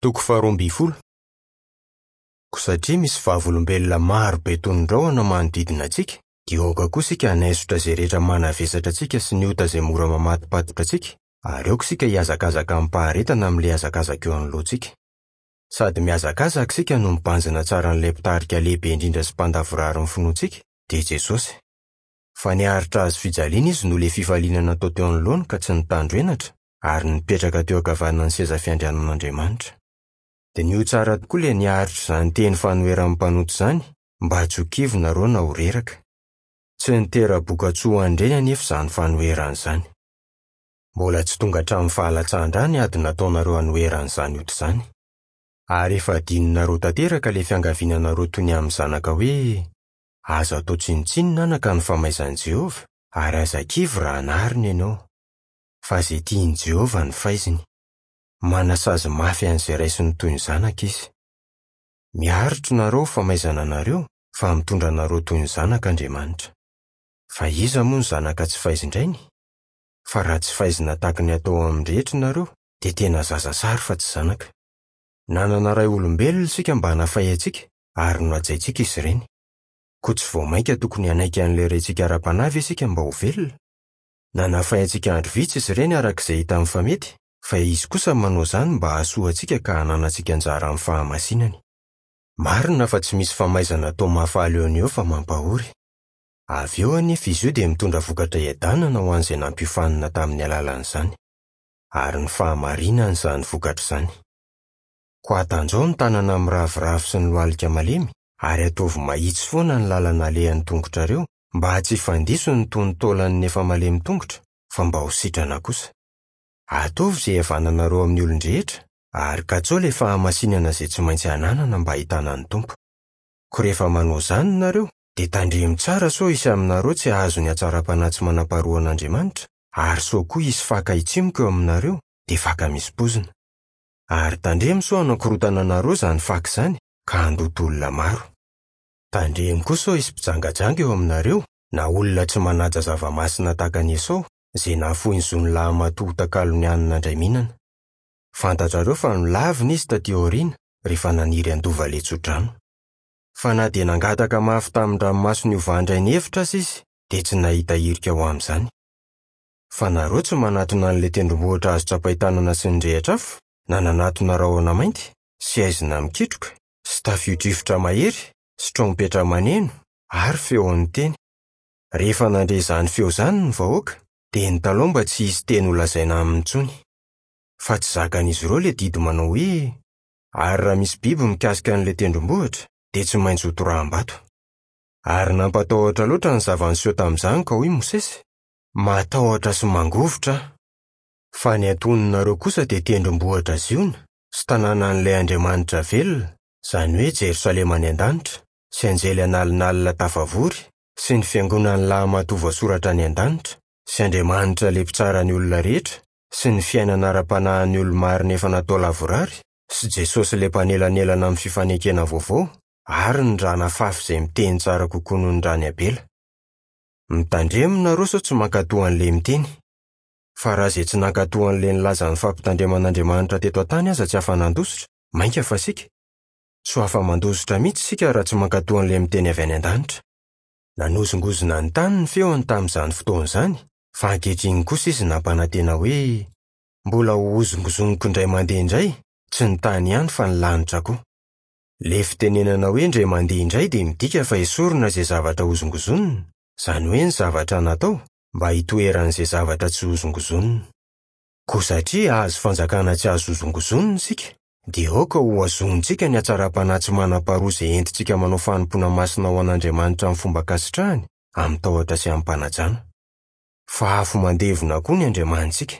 Toko faharoambinifolo. Koa satria misy vavolombelona maro be toy ny rahona manodidina antsika, dia aoka koa isika hanaisotra izay rehetra manavesatra antsika sy ny ota izay mora mamatopatotra antsika, ary aoka isika hihazakazaka amim-paharetana amin'ilay hazakazaka eo anoloantsika. Sady mihazakazaka isika no mibanjina tsara an'ilay Mpitarika lehibe indrindra sy Mpandavorary ny finoantsika, dia Jesosy. Fa niaritra hazo fijaliana Izy noho ilay fifaliana natao teo anoloany ka tsy nitandro henatra, ary nipetraka teo ankavanan'ny seza fiandrianan'Andriamanitra. Diniho tsara tokoa ilay niaritra izany teny fanoheran'ny mpanota izany, mba tsy ho kivy nareo na ho reraka. Tsy nitera-bokatsoa ho an'ireny anefa izany fanoherana izany. Mbola tsy tonga hatramin'ny fahalatsahan-drà ny ady nataonareo hanoherana izany ota izany. Ary efa adinonareo tanteraka ilay fiangaviana anareo toy ny amin'ny zanaka hoe, Aza atao tsinontsinona anaka ny famaizan'i Jehovah, ary aza kivy raha anarina ianao. Fa izay tian'i Jehovah no faiziny. Manasazy mafy an'izay raisiny toy ny zanaka izy. Miaritra nareo famaizana anareo fa mitondra anareo toy ny zanaka Andriamanitra. Fa iza moa no zanaka tsy faizin-drainy? Fa raha tsy faizina tahaky ny atao amin'ny rehetra nareo dia tena zaza sary fa tsy zanaka. Nanana ray olombelona isika mba hanafay antsika ary nohajaintsika izy ireny. Koa tsy vao mainka tokony hanaiky an'ilay Raintsika ara-panahy ve isika mba ho velona? Nanafay antsika andro vitsy izy ireny araka izay hitany fa mety, fa Izy kosa manao izany mba hahasoa antsika ka hananantsika anjara amin'ny fahamasinany. Marina fa tsy misy famaizana atao mahafaly eo no eo fa mampahory. Avy eo anefa izy io dia mitondra vokatra hiadanana ho an'izay nampiofanina tamin'ny alalan'izany. Ary ny fahamarinana izany vokatra izany. Koa atanjao ny tanana miraviravy sy ny lohalika malemy, ary ataovy mahitsy foana ny lalana alehan'ny tongotrareo, mba tsy hifandiso ny tonon-taolan'ny efa malemy tongotra, fa mba ho sitrana kosa. Ataovy izay hihavananareo amin'ny olon-drehetra, ary katsaho ilay fahamasinana izay tsy maintsy ananana mba hahitana ny Tompo. Koa rehefa manao izany nareo, dia tandremo tsara sao hisy aminareo tsy hahazo ny hatsaram-panahy tsy manam-paharoan'Andriamanitra, ary sao koa hisy faka hitsimoka eo aminareo, dia faka misy poizina. Ary tandremo sao hanakorontana anareo izany faka izany, ka handoto olona maro. Tandremo koa sao hisy mpijangajanga eo aminareo, na olona tsy manaja zava-masina tahaka an'i Esao, izay nahafoy ny zon'ny lahimatoa ho takalon'ny hanina indray mihinana. Fantatrareo fa nolavina izy taty aoriana, rehefa naniry handova ilay tsodrano. Fa na dia nangataka mafy tamin-dranomaso ny hovan-dray ny hevitra aza izy, dia tsy nahita hirika ho amin'izany. Fa nareo tsy manatona an'ilay tendrombohitra azo tsapain-tanana sy nirehitra afo, na nanatona rahona mainty, sy haizina mikitroka, sy tafio-drivotra mahery, sy trompetra maneno, ary feon'ny teny. Rehefa nandre izany feo izany ny vahoaka, dia nitalaho mba tsy hisy teny holazaina aminy intsony. Fa tsy zakan'izy ireo ilay didy manao hoe, Ary raha misy biby mikasika an'ilay tendrombohitra, dia tsy maintsy hotoraham-bato. Ary nampatahotra loatra ny zava-niseho tamin'izany ka hoy Mosesy, Matahotra sy mangovitra aho. Fa ny antoninareo kosa dia tendrombohitra Ziona, sy tanànan'ilay Andriamanitra velona, izany hoe Jerosalema any an-danitra, sy anjely an'alinalina tafavory, sy ny fiangonan'ny lahimatoa voasoratra any an-danitra, sy Andriamanitra ilay mpitsara ny olona rehetra, sy ny fiainana ara-panahin'ny olo-marina efa natao lavorary, sy Jesosy ilay mpanelanelana amin'ny fifanekena vaovao, ary ny ra nafafy izay miteny tsara kokoa noho ny ran'i Abela. Mitandremo nareo sao tsy mankatò an'ilay miteny. Fa raha izay tsy nankatò an'ilay nilaza ny fampitandreman'Andriamanitra teto an-tany aza tsy afa-nandositra, mainka fa isika? Tsy ho afa-mandositra mihitsy isika raha tsy mankatò an'ilay miteny avy any an-danitra. Nanozongozona ny tany ny feony tamin'izany fotoana izany, fa ankehitriny kosa izy nampanantena hoe, Mbola hohozongozoniko indray mandeha indray, tsy ny tany ihany fa ny lanitra koa. Ilay fitenenana hoe indray mandeha indray dia midika fa esorina izay zavatra hozongozonina, izany hoe ny zavatra natao, mba hitoeran'izay zavatra tsy hozongozonina. Koa satria hahazo fanjakana tsy azo hozongozonina isika, dia aoka hohazonintsika ny hatsaram-panahy tsy manam-paharoa izay entintsika manao fanompoana masina ho an'Andriamanitra amin'ny fomba ankasitrahany, amin-tahotra sy amim-panajana. Fa afo mandevona koa ny Andriamanitsika.